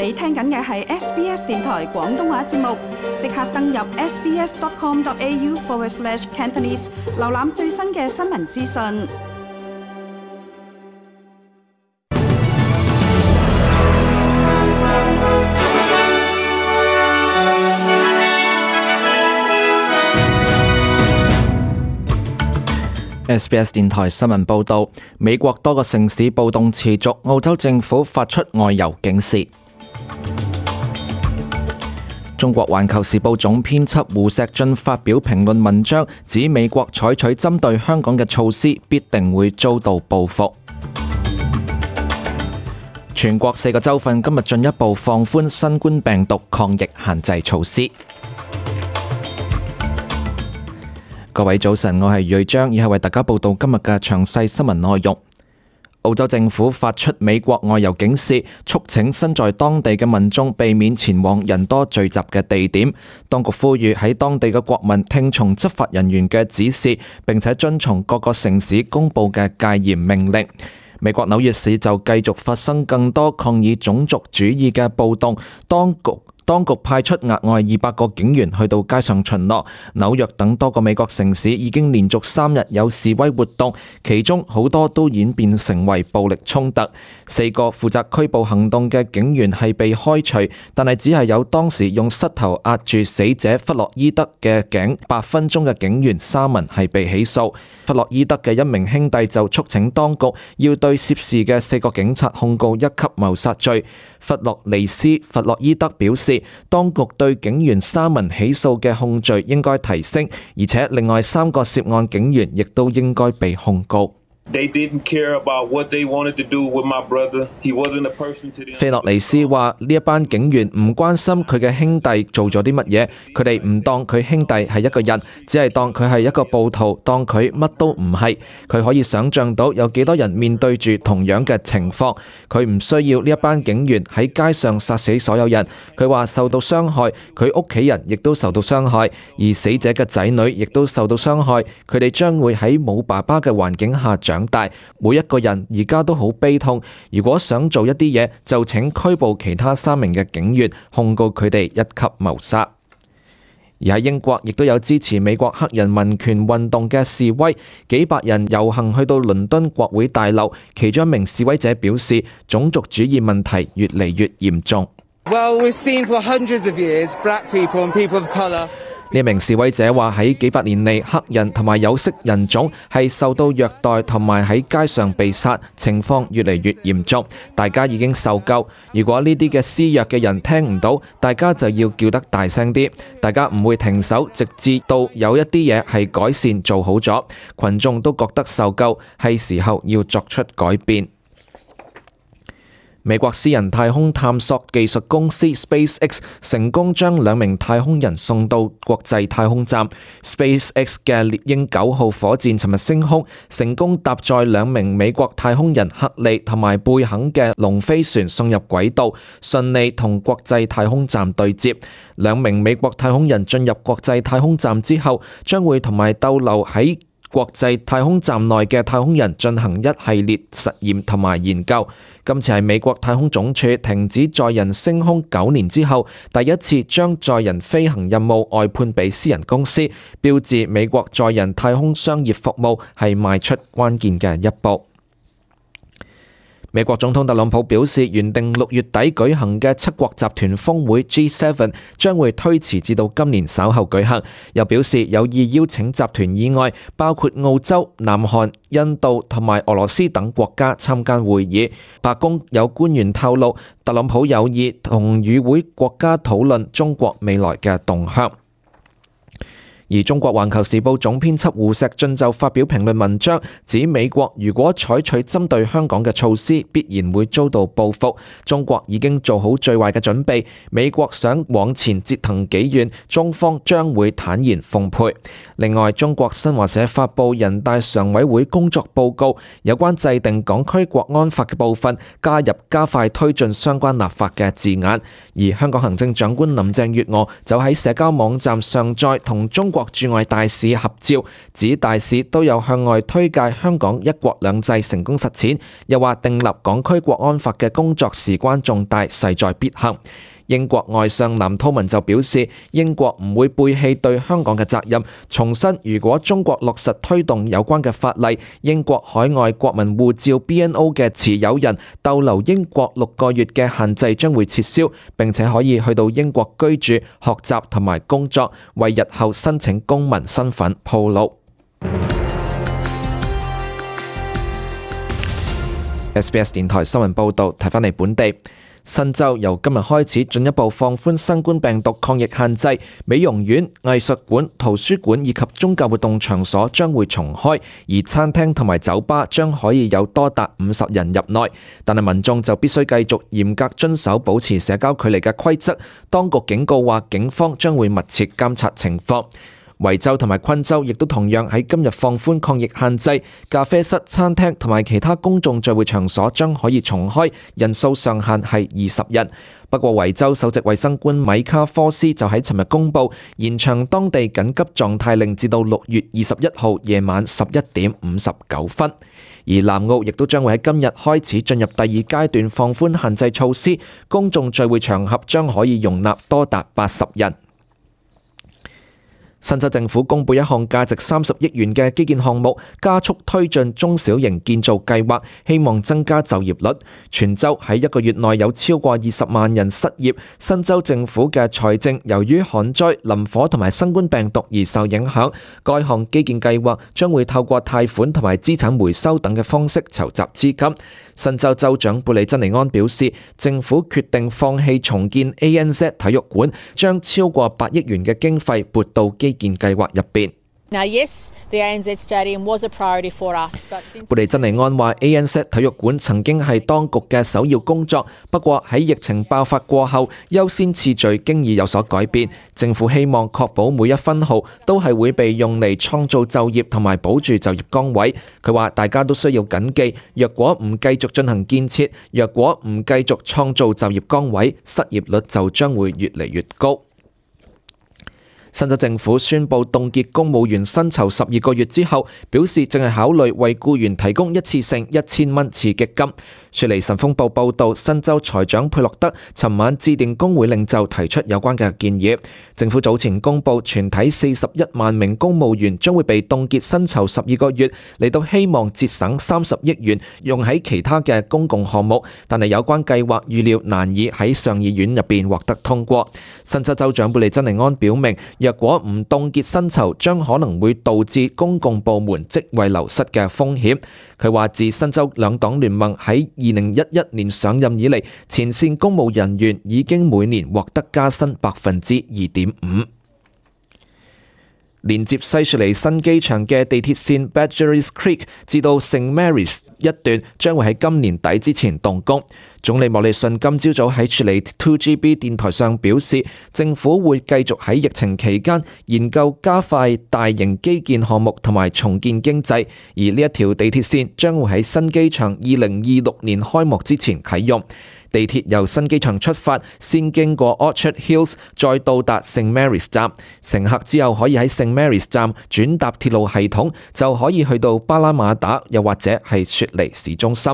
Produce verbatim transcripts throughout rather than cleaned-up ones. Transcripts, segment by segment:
你聽緊嘅係 S B S 電台廣東話節目，即刻登入 sbs.com.au forward slash Cantonese， 瀏覽最新嘅新聞資訊。S B S 電台新聞報道，美國多個城市暴動持續，澳洲政府發出外遊警示。中國環球時報總編輯胡錫進發表評論文章，指美國採取針對香港嘅措施必定會遭到報復。全國四個州份今日進一步放寬新冠病毒抗疫限制措施。各位早晨，我係瑞章，以下為大家報道今日嘅詳細新聞內容。澳洲政府發出美國外遊警示，促請身在當地嘅民眾避免前往人多聚集嘅地點。當局呼籲喺當地嘅國民聽從執法人員嘅指示，並且遵從各個城市公布嘅戒嚴命令。美國紐約市就繼續發生更多抗議種族主義嘅暴動，當局當局派出額外二百個警員去到街上巡邏。紐約等多個美國城市已經連續三日有示威活動，其中好多都演變成為暴力衝突。四個負責拘捕行動嘅警員係被開除，但係只係有當時用膝頭壓住死者弗洛伊德嘅頸八分鐘嘅警員沙文係被起訴。弗洛伊德嘅一名兄弟就促請當局要對涉事嘅四個警察控告一級謀殺罪。弗洛尼斯·弗洛伊德表示，當局對警員沙文起訴嘅控罪應該提升，而且另外三個涉案警員亦都應該被控告。菲洛尼斯話：呢一班警員唔關心佢嘅兄弟做咗啲乜嘢，佢哋唔當佢兄弟係一個人，只係當佢係一個暴徒，當佢乜都唔係。佢可以想象到有幾多人面對住同樣嘅情況，佢唔需要呢一班警員喺街上殺死所有人。佢話受到傷害，佢屋企人亦都受到傷害，而死者嘅仔女亦都受到傷害，佢哋將會喺冇爸爸嘅環境下長大，每一個人而家都好悲痛。如果想做一啲嘢，就請拘捕其他三名嘅警員，控告佢哋一級謀殺。而喺英國，亦都有支持美國黑人民權運動嘅示威，幾百人遊行去到倫敦國會大樓。其中一名示威者表示，種族主義問題越嚟越嚴重。Well, we've seen for hundreds of years, black people and people of colour。呢名示威者話喺幾百年嚟，黑人同埋有色人種係受到虐待同埋喺街上被殺，情況越嚟越嚴重。大家已經受夠，如果呢啲嘅施虐嘅人聽唔到，大家就要叫得大聲啲。大家唔會停手，直至到有一啲嘢係改善做好咗，群眾都覺得受夠，係時候要作出改變。美國私人太空探索技術公司 SpaceX 成功將兩名太空人送到國際太空站。SpaceX 嘅獵鷹九號火箭尋日升空，成功搭載兩名美國太空人克利同埋貝肯嘅龍飛船送入軌道，順利同國際太空站對接。兩名美國太空人進入國際太空站之後，將會同埋逗留喺國際太空站內嘅太空人進行一系列實驗同埋研究。今次係美國太空總署停止載人升空九年之後，第一次將載人飛行任務外判俾私人公司，標誌美國載人太空商業服務係邁出關鍵嘅一步。美國總統特朗普表示，原定六月底舉行嘅七國集團峰會 G 七 將會推遲至到今年稍後舉行。又表示有意邀請集團以外，包括澳洲、南韓、印度同埋俄羅斯等國家參加會議。白宮有官員透露，特朗普有意同與會國家討論中國未來嘅動向。而中國環球時報總編輯胡錫進就發表評論文章，指美國如果採取針對香港嘅措施，必然會遭到報復。中國已經做好最壞嘅準備，美國想往前折騰幾遠，中方將會坦然奉陪。另外，中國新華社發布人大常委會工作報告，有關制定港區國安法嘅部分，加入加快推進相關立法嘅字眼。而香港行政長官林鄭月娥就喺社交網站上載同中國國駐外大使合照，指大使都有向外推介香港一國兩制成功實踐，又話訂立港區國安法嘅工作事關重大，勢在必行。英國外相藍韜文就表示，英國唔會背棄對香港嘅責任，重申如果中國落實推動有關嘅法例，英國海外國民護照 B N O 嘅持有人逗留英國六個月嘅限制將會撤銷，並且可以去到英國居住、學習同埋工作，為日後申請公民身份鋪路。S B S 電台新聞報導，睇返嚟本地。新州由今日開始進一步放寬新冠病毒抗疫限制，美容院、藝術館、圖書館以及宗教活動場所將會重開，而餐廳同埋酒吧將可以有多達五十人入內，但係民眾就必須繼續嚴格遵守保持社交距離嘅規則。當局警告話，警方將會密切監察情況。維州同埋昆州亦都同樣喺今日放寬抗疫限制，咖啡室、餐廳同埋其他公眾聚會場所將可以重開，人數上限係二十人。不過維州首席衛生官米卡科斯就喺尋日公佈延長當地緊急狀態令至到六月二十一號夜晚十一點五十九分。而南澳亦都將會喺今日開始進入第二階段放寬限制措施，公眾聚會場合將可以容納多達八十人。新州政府公布一項價值三十億元嘅基建項目，加速推進中小型建造計劃，希望增加就業率。全州喺一個月內有超過二十萬人失業。新州政府嘅財政由於旱災、林火同埋新冠病毒而受影響。該項基建計劃將會透過貸款同埋資產回收等嘅方式籌集資金。新州州長布里珍尼安表示，政府決定放棄重建 A N Z 體育館，將超過八億元嘅經費撥到基建計劃入邊。Now, yes, the A N Z Stadium was a priority for us, but since 布利珍尼安話 A N Z 體育館曾經係當局嘅首要工作，不過喺疫情爆發過後，優先次序經已有所改變。政府希望確保每一分毫都係會被用嚟創造就業同埋保住就業崗位。佢話大家都需要謹記，若果唔繼續進行建設，若果唔繼續創造就業崗位，失業率就將會越嚟越高。新州政府宣布凍結公務員薪酬十二個月之後，表示正係考慮為僱員提供一次性一千蚊刺激金。雪梨晨鋒報報道，新州財長佩洛德尋晚致電工會領袖，提出有關嘅建議。政府早前公布，全體四十一萬名公務員將會被凍結薪酬十二個月，嚟到希望節省三十億元用喺其他嘅公共項目，但係有關計劃預料難以喺上議院入邊獲得通過。新州州長貝利珍尼安表明，若果唔凍結薪酬，將可能會導致公共部門職位流失嘅風險。佢話自新州兩黨聯盟喺二零一一年上任以嚟，前線公務人員已經每年獲得加薪百分之二點五。連接西雪梨新機場嘅地鐵線 Badgerys Creek 至到 Saint Marys 一段將會喺今年底之前動工。總理莫里遜今朝早喺雪梨 two G B 電台上表示，政府會繼續喺疫情期間研究加快大型基建項目同埋重建經濟，而呢一條地鐵線將會喺新機場二零二六年開幕之前啟用。地鐵由新機場出發，先經過 Orchard Hills， 再到達 Saint Marys 站。乘客之後可以喺 Saint Marys 站轉搭鐵路系統，就可以去到巴拉馬達，又或者係雪梨市中心。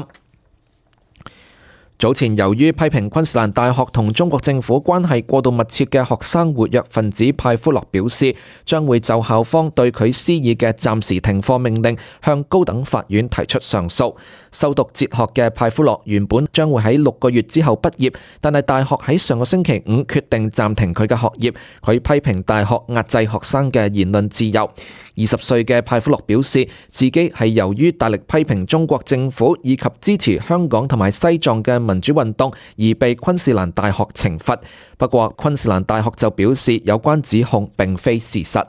早前由於批評昆士蘭大學同中國政府關係過度密切嘅學生活躍分子派夫洛表示，將會就校方對佢施以嘅暫時停課命令向高等法院提出上訴。修讀哲學嘅派夫洛原本將會喺六個月之後畢業，但係大學喺上個星期五決定暫停佢嘅學業。佢批評大學壓制學生嘅言論自由。二十歲嘅派夫洛表示，自己係由於大力批評中國政府以及支持香港同埋西藏嘅民主運動而被昆士蘭大學懲罰。不過昆士蘭大學就表示有關指控並非事實。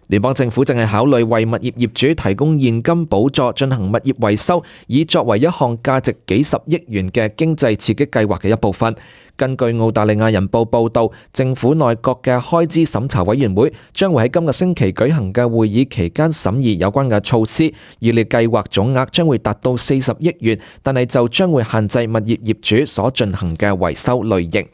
聯邦政府正係考慮為物業業主提供現金補助進行物業維修，以作為一項價值幾十億元嘅經濟刺激計劃嘅一部分。根據澳大利亞人報報導，政府內閣嘅開支審查委員會將會喺今個星期舉行嘅會議期間審議有關嘅措施，預料計劃總額將會達到四十億元，但係就將會限制物業業主所進行嘅維修類型。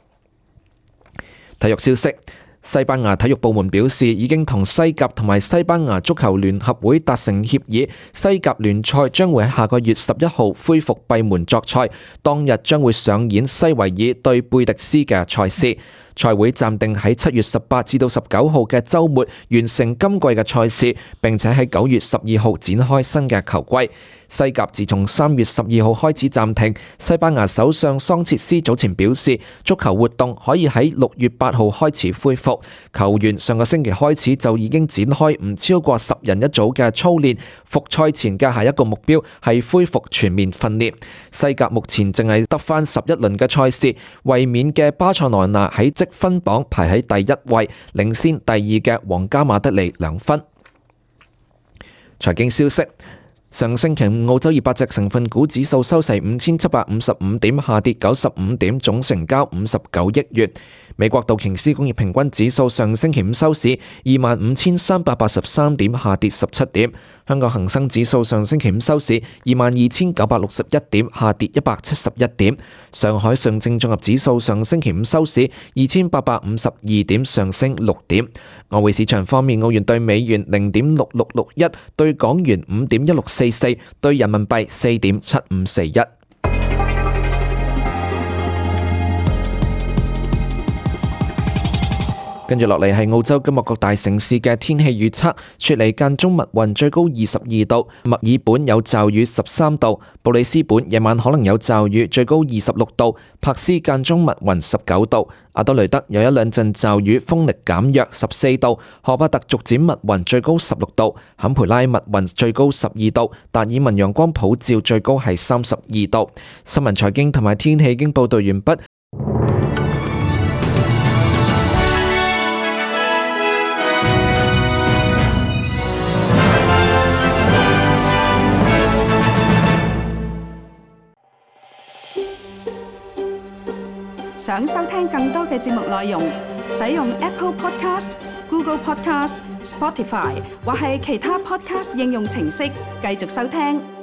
體育消息。西班牙體育部門表示，已經同西甲同埋西班牙足球聯合會達成協議，西甲聯賽將會喺下個月十一號恢復閉門作賽，當日將會上演西維爾對貝迪斯嘅賽事。賽會暫定喺七月十八至到十九號嘅週末完成今季嘅賽事，並且喺九月十二號展開新嘅球季。西甲自從三月十二號開始暫停，西班牙首相桑切斯早前表示，足球活動可以喺六月八號開始恢復。球員上個星期開始就已經展開唔超過十人一組嘅操練，復賽前嘅下一個目標係恢復全面訓練。西甲目前淨係得返十一輪嘅賽事，衛冕嘅巴塞羅那喺積分榜排喺第一位，領先第二嘅皇家馬德里兩分。財經消息。上星期五，澳洲二百隻成分股指數收市五千七百五十五點，下跌九十五點，總成交五十九億元。美國道瓊斯工業平均指數上星期五收市二萬五千三百八十三點，下跌十七點。香港恒生指數上星期五收市二萬二千九百六十一點，下跌一百七十一點。上海上證綜合指數上星期五收市二千八百五十二點，上升六點。外匯市場方面，澳元對美元零點六六六一，對港元五點一六四四，對人民幣四點七五四一。跟住落嚟係澳洲今日各大城市嘅天氣預測：雪梨間中密雲，最高二十二度；墨爾本有驟雨，十三度；布里斯本夜晚可能有驟雨，最高二十六度；柏斯間中密雲，十九度；阿德雷德有一兩陣驟雨，風力減弱，十四度；荷巴特逐漸密雲，最高十六度；坎培拉密雲，最高十二度；達爾文陽光普照，最高係三十二度。新聞財經同埋天氣已經報道完畢。想收聽更多嘅節目內容，使用 Apple Podcast、Google Podcast、Spotify 或係其他 Podcast 應用程式繼續收聽。